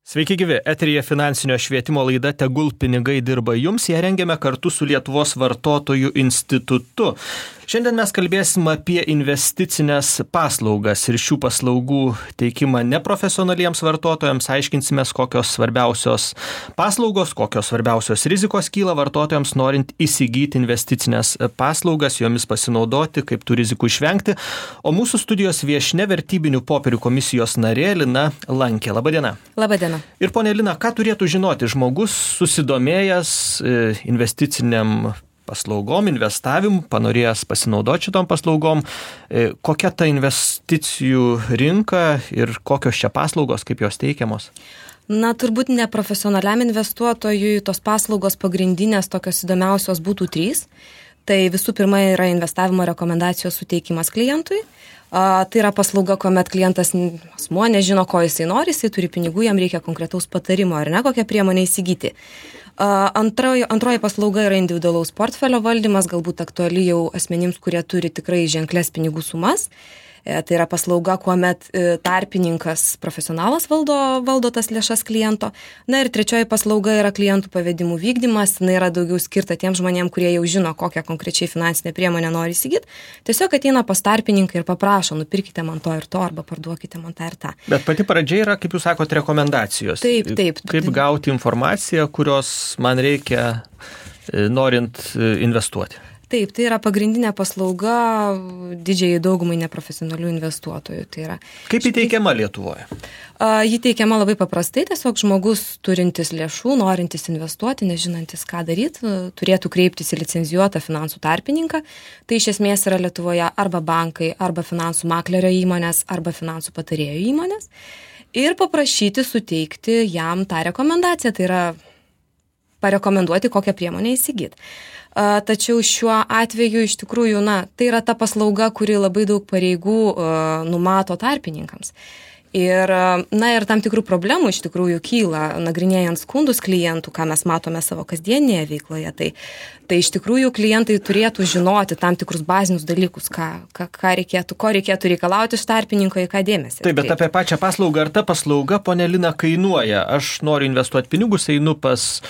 Sveiki gyvi, eteryje finansinio švietimo laida Tegul pinigai dirba jums, ją rengiame kartu su Lietuvos vartotojų institutu. Šiandien mes kalbėsim apie investicinės paslaugas ir šių paslaugų teikimą neprofesionaliems vartotojams, aiškinsimės, kokios svarbiausios paslaugos, kokios svarbiausios rizikos kyla vartotojams, norint įsigyti investicinės paslaugas, jomis pasinaudoti, kaip tų rizikų išvengti. O mūsų studijos viešnia vertybinių popierių komisijos narė Lina Lankė. Labadiena. Labadiena. Ir ponia Lina, ką turėtų žinoti žmogus susidomėjęs investiciniam paslaugom, investavimu, panorėjęs pasinaudoti šitom paslaugom, kokia ta investicijų rinka ir kokios čia paslaugos, kaip jos teikiamos? Na, turbūt neprofesionaliam investuotojui tos paslaugos pagrindinės tokios įdomiausios būtų 3. Tai visų pirma yra investavimo rekomendacijos suteikimas klientui. Tai yra paslauga, kuomet klientas asmuo nežino, ko jisai nori, jisai turi pinigų, jam reikia konkretaus patarimo ar ne, kokią priemonę įsigyti. Antroji paslauga yra individualaus portfelio valdymas, galbūt aktuali jau asmenims, kurie turi tikrai ženklias pinigų sumas. Tai yra paslauga, kuomet tarpininkas profesionalas valdo tas lėšas kliento. Na ir trečioji paslauga yra klientų pavedimų vykdymas. Na yra daugiau skirta tiem žmonėm, kurie jau žino, kokią konkrečiai finansinę priemonę nori įsigyti. Tiesiog ateina pas tarpininką ir paprašo, nupirkite man to ir to, arba parduokite man tą ir tą. Bet pati pradžia yra, kaip jūs sakote, rekomendacijos. Taip. Kaip gauti informaciją, kurios man reikia norint investuoti. Taip, tai yra pagrindinė paslauga didžiai daugumai neprofesionalių investuotojų. Tai yra. Kaip įteikiama Lietuvoje? Ji teikiama labai paprastai, tiesiog žmogus turintis lėšų, norintis investuoti, nežinantis ką daryti, turėtų kreiptis į licencijuotą finansų tarpininką. Tai iš esmės yra Lietuvoje arba bankai, arba finansų maklerio įmonės, arba finansų patarėjo įmonės. Ir paprašyti suteikti jam tą rekomendaciją, tai yra parekomenduoti, kokią priemonę įsigyti. Tačiau šiuo atveju iš tikrųjų, tai yra ta paslauga, kuri labai daug pareigų numato tarpininkams. Ir tam tikrų problemų iš tikrųjų kyla, nagrinėjant skundus klientų, ką mes matome savo kasdienėje veikloje. Tai iš tikrųjų klientai turėtų žinoti tam tikrus bazinius dalykus, ko reikėtų reikalauti iš tarpininko, į ką dėmesį. Taip, bet apie pačią paslaugą, ar ta paslauga, ponia Lina, kainuoja? Aš noriu investuoti pinigus, einu pas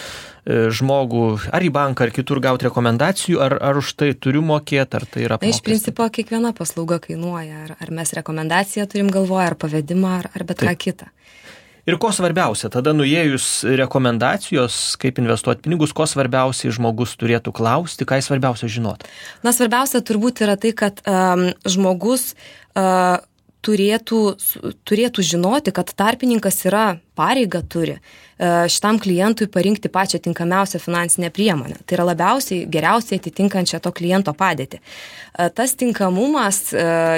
žmogų, ar į banką, ar kitur gauti rekomendacijų, ar už tai turiu mokėti, ar tai yra apmokestinama? Iš principo, kiekviena paslauga kainuoja, ar mes rekomendaciją turim galvoje, ar pavedimą, ar bet ką kitą. Ir ko svarbiausia, tada nuėjus rekomendacijos, kaip investuoti pinigus, ko svarbiausiai žmogus turėtų klausti, ką jis svarbiausia žinoti? Svarbiausia turbūt yra tai, kad žmogus turėtų žinoti, kad tarpininkas yra pareiga turi šitam klientui parinkti pačią tinkamiausią finansinę priemonę. Tai yra geriausiai atitinkančią to kliento padėtį. Tas tinkamumas,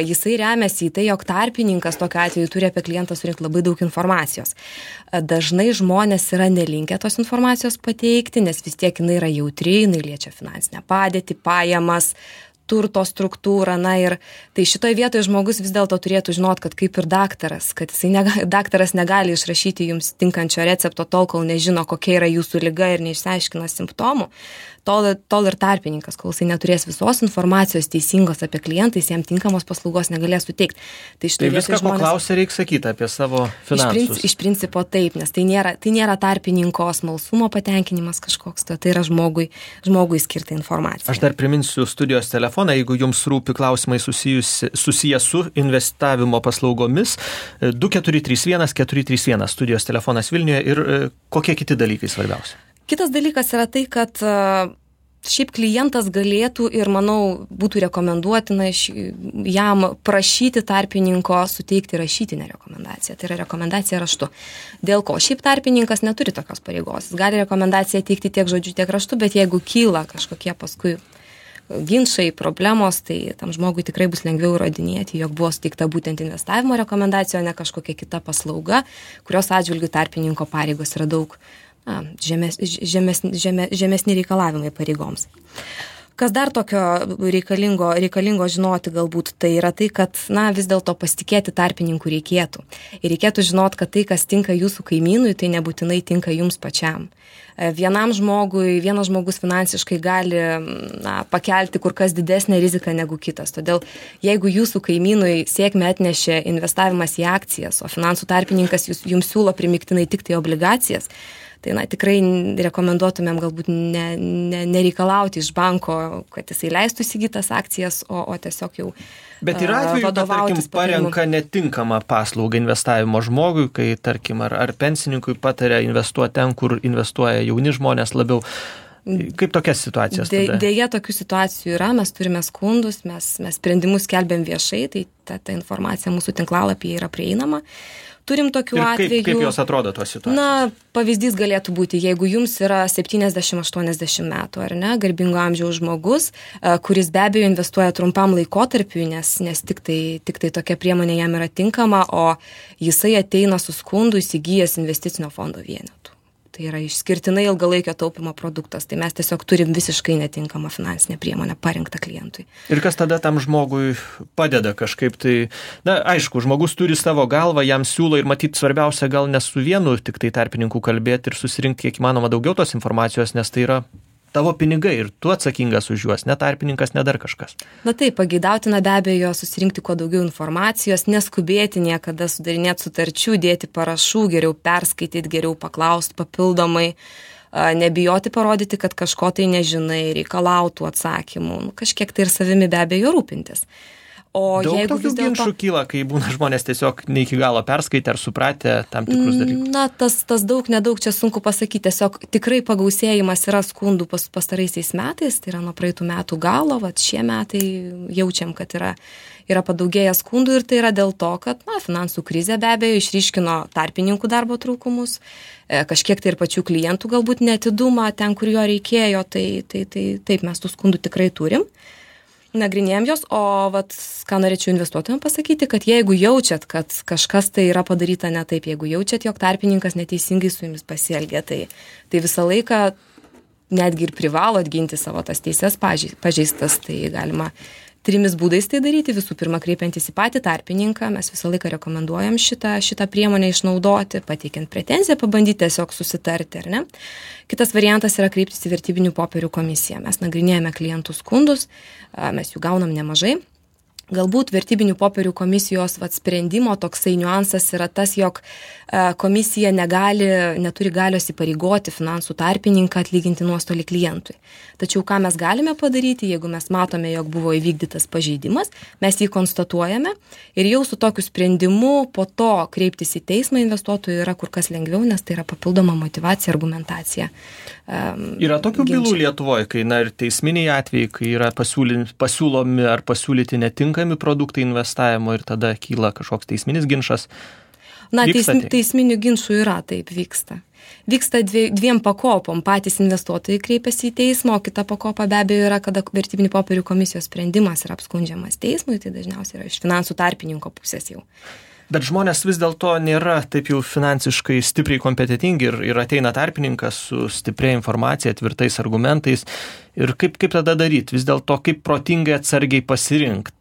jisai remiasi į tai, jog tarpininkas tokiu atveju turi apie klientą surinkti labai daug informacijos. Dažnai žmonės yra nelinkę tos informacijos pateikti, nes vis tiek jinai yra jautri, jinai liečia finansinę padėtį, pajamas, turto struktūrą, ir tai šitoje vietoje žmogus vis dėlto turėtų žinoti, kad kaip ir daktaras, kad daktaras negali išrašyti jums tinkančio recepto tol, kol nežino, kokia yra jūsų liga ir neišsiaiškina simptomų. Tol ir tarpininkas, kol jisai neturės visos informacijos teisingos apie klientą, jis jam tinkamos paslaugos negalės suteikti. Tai viską, ko klausia, reikia sakyti apie savo finansus. Iš principo taip, nes tai nėra tarpininko smalsumo patenkinimas kažkoks, tai yra žmogui skirta informacija. Aš dar priminsiu studijos telefoną, jeigu jums rūpi klausimai susiję su investavimo paslaugomis, 2431 431 studijos telefonas Vilniuje ir kokie kiti dalykai svarbiausi? Kitas dalykas yra tai, kad šiaip klientas galėtų ir, manau, būtų rekomenduotina jam prašyti tarpininko suteikti rašytinę rekomendaciją. Tai yra rekomendacija raštu. Dėl ko? Šiaip tarpininkas neturi tokios pareigos. Jis gali rekomendaciją teikti tiek žodžiu, tiek raštu, bet jeigu kyla kažkokie paskui ginčai, problemos, tai tam žmogui tikrai bus lengviau įrodinėti, jog buvo suteikta būtent investavimo rekomendacija, o ne kažkokia kita paslauga, kurios atžvilgių tarpininko pareigos yra daug žemesni reikalavimai pareigoms. Kas dar tokio reikalingo žinoti galbūt, tai yra tai, kad vis dėlto pasitikėti tarpininkų reikėtų. Ir reikėtų žinoti, kad tai, kas tinka jūsų kaimynui, tai nebūtinai tinka jums pačiam. Vienas žmogus finansiškai gali pakelti kur kas didesnę riziką negu kitas. Todėl jeigu jūsų kaimynui sėkmę atnešė investavimas į akcijas, o finansų tarpininkas jums siūlo primiktinai tik tai obligacijas, tai tikrai rekomenduotumėm galbūt nereikalauti iš banko, kad jisai leistų įsigytas akcijas, o tiesiog jau Bet yra atveju, kad, tarkim, parenka netinkamą paslaugą investavimo žmogui, kai, tarkim, ar pensininkui pataria investuoti ten, kur investuoja jauni žmonės labiau. Kaip tokias situacijas tada? Deja, tokių situacijų yra, mes turime skundus, mes sprendimus skelbiam viešai, tai ta informacija mūsų tinklalapyje yra prieinama. Turim tokių atvejų. Kaip jos atrodo tos situacijos? Pavyzdys galėtų būti, jeigu jums yra 70-80 metų, ar ne, garbingo amžiaus žmogus, kuris be abejo investuoja trumpam laikotarpiui, nes tik tai tokia priemonė jam yra tinkama, o jisai ateina su skundu įsigijęs investicinio fondo vienetų. Tai yra išskirtinai ilgalaikio taupimo produktas, tai mes tiesiog turim visiškai netinkamą finansinę priemonę parinktą klientui. Ir kas tada tam žmogui padeda kažkaip tai, aišku, žmogus turi savo galvą, jam siūlo ir matyti svarbiausia gal ne su vienu tik tai tarpininku kalbėti ir susirinkti kiek įmanoma daugiau tos informacijos, nes tai yra tavo pinigai ir tu atsakingas už juos, ne tarpininkas, ne dar kažkas. Taip, pageidautina be abejo susirinkti kuo daugiau informacijos, neskubėti niekada sudarinėti sutarčių, dėti parašų, geriau perskaityti, geriau paklausti papildomai, nebijoti parodyti, kad kažko tai nežinai, reikalautų atsakymų, kažkiek tai ir savimi be abejo rūpintis. O daug tokių ginčų kyla, kai būna žmonės tiesiog ne iki galo perskaitę ar supratę tam tikrus dalykus? Tas daug, nedaug čia sunku pasakyti. Tiesiog tikrai pagausėjimas yra skundų pastaraisiais metais, tai yra nuo praeitų metų galo, šie metai jaučiam, kad yra padaugėję skundų ir tai yra dėl to, kad finansų krizė be abejo išryškino tarpininkų darbo trūkumus, kažkiek tai ir pačių klientų galbūt neatidumą ten, kur jo reikėjo, tai taip mes tų skundų tikrai turim. Nagrinėjom jos, o ką norėčiau investuotojams pasakyti, kad jeigu jaučiat, kad kažkas tai yra padaryta ne taip, jeigu jaučiat, jog tarpininkas neteisingai su jumis pasielgia, tai visą laiką netgi ir privalot ginti savo tas teises pažeistas, tai galima 3 būdais tai daryti. Visų pirma, kreipiantis į patį tarpininką, mes visą laiką rekomenduojam šitą priemonę išnaudoti, pateikiant pretenziją, pabandyti tiesiog susitarti, ar ne. Kitas variantas yra kreiptis į vertybinių popierių komisiją. Mes nagrinėjame klientų skundus, mes jų gaunam nemažai. Galbūt vertybinių popierių komisijos sprendimo toksai niuansas yra tas, jog komisija neturi galios įpareigoti finansų tarpininką atlyginti nuostolį klientui. Tačiau ką mes galime padaryti, jeigu mes matome, jog buvo įvykdytas pažeidimas, mes jį konstatuojame ir jau su tokiu sprendimu po to kreiptis į teismą investuotojų yra kur kas lengviau, nes tai yra papildoma motyvacija, argumentacija. Yra tokių bylų Lietuvoje, kai ir teisminiai atvejai, kai yra pasiūlomi ar pasiūlyti netinkami produktai investavimo ir tada kyla kažkoks teisminis ginčas. Teisminių ginčų yra, taip vyksta. Vyksta 2 pakopom. Patys investuotojai kreipiasi į teismą, o kita pakopa be abejo yra, kada vertybinių popierių komisijos sprendimas yra apskundžiamas teismui, tai dažniausiai yra iš finansų tarpininko pusės jau. Bet žmonės vis dėlto nėra taip jau finansiškai stipriai kompetentingi ir ateina tarpininkas su stipria informacija, tvirtais argumentais. Ir kaip tada daryti? Vis dėlto kaip protingai atsargiai pasirinkti?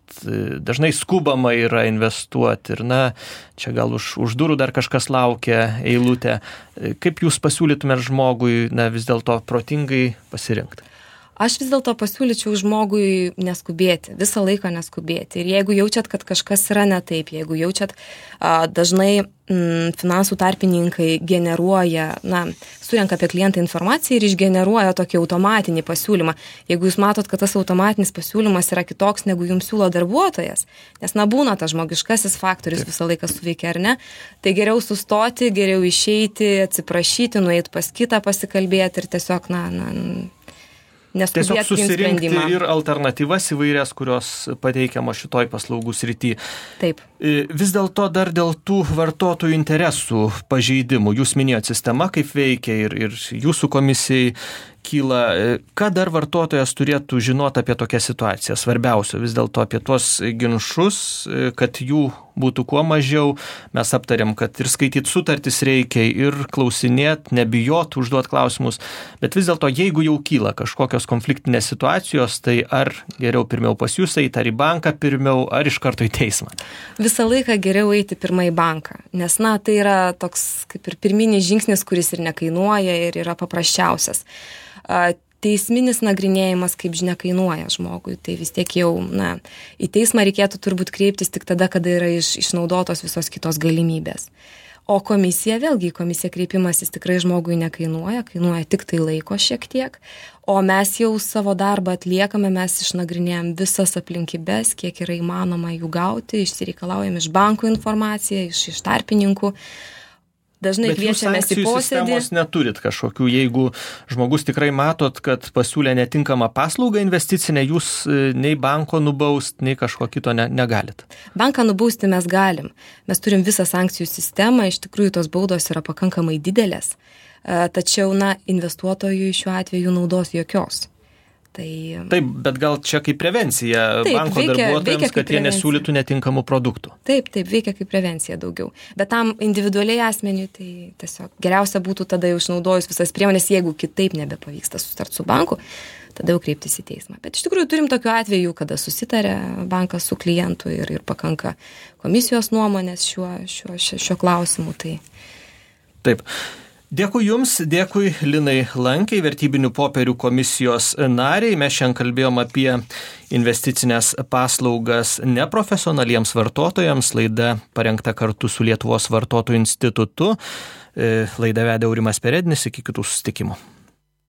Dažnai skubama yra investuoti ir čia gal už durų dar kažkas laukia eilutė. Kaip jūs pasiūlytumėte žmogui vis dėlto protingai pasirinkti? Aš vis dėlto pasiūlyčiau žmogui neskubėti, visą laiką neskubėti. Ir jeigu jaučiat, kad kažkas yra ne taip, jeigu jaučiat, dažnai finansų tarpininkai generuoja, surenka apie klientą informaciją ir išgeneruoja tokį automatinį pasiūlymą. Jeigu jūs matot, kad tas automatinis pasiūlymas yra kitoks, negu jums siūlo darbuotojas, nes būna tas žmogiškasis faktorius visą laiką suveikia, ar ne, tai geriau sustoti, geriau išeiti, atsiprašyti, nueiti pas kitą, pasikalbėti ir tiesiog, tiesiog susirinkti ir alternatyvas įvairias, kurios pateikiamos šitoj paslaugų srity. Taip. Vis dėlto dar dėl tų vartotojų interesų pažeidimų. Jūs minėjot sistema, kaip veikia ir jūsų komisijai kyla. Ką dar vartotojas turėtų žinoti apie tokią situaciją? Svarbiausia vis dėlto apie tuos ginčus, kad jų būtų kuo mažiau. Mes aptarėm, kad ir skaityti sutartis reikia, ir klausinėti, nebijot, užduoti klausimus. Bet vis dėlto, jeigu jau kyla kažkokios konfliktinės situacijos, tai ar geriau pirmiau pas jūs eiti, ar į banką pirmiau, ar iš karto į teismą? Visą laiką geriau eiti pirmą į banką, nes, tai yra toks kaip ir pirminis žingsnis, kuris ir nekainuoja ir yra paprasčiausias. Teisminis nagrinėjimas, kaip žinia, kainuoja žmogui, tai vis tiek jau, į teismą reikėtų turbūt kreiptis tik tada, kada yra išnaudotos visos kitos galimybės. O komisija kreipimasis tikrai žmogui nekainuoja, kainuoja tik tai laiko šiek tiek, o mes jau savo darbą atliekame, mes išnagrinėjom visas aplinkybės, kiek yra įmanoma jų gauti, išsireikalaujam iš bankų informaciją, iš tarpininkų. Dažnai kviečiamės į posėdį. Bet jūs sankcijų sistemos neturit kažkokių, jeigu žmogus tikrai matot, kad pasiūlė netinkamą paslaugą investicinę, jūs nei banko nubaust, nei kažko kito negalit. Banką nubausti mes galim. Mes turim visą sankcijų sistemą, iš tikrųjų tos baudos yra pakankamai didelės, tačiau, investuotojui šiuo atveju naudos jokios. Taip, bet gal čia kaip prevencija banko darbuotojams, kad jie nesiūlytų netinkamų produktų. Taip, veikia kaip prevencija daugiau. Bet tam individualiai asmeniui tai tiesiog geriausia būtų tada jau išnaudojus visas priemonės, jeigu kitaip nebepavyksta susitart su banku, tada jau kreiptis į teismą. Bet iš tikrųjų turim tokių atvejų, kada susitarė bankas su klientu ir pakanka komisijos nuomonės šiuo klausimu. Taip. Dėkui Jums, dėkui Linai Lankiai, vertybinių popierių komisijos nariai. Mes šiandien kalbėjom apie investicinės paslaugas neprofesionaliems vartotojams. Laida parengta kartu su Lietuvos vartotojų institutu. Laidą vedė Aurimas Perednis, iki kitų susitikimų.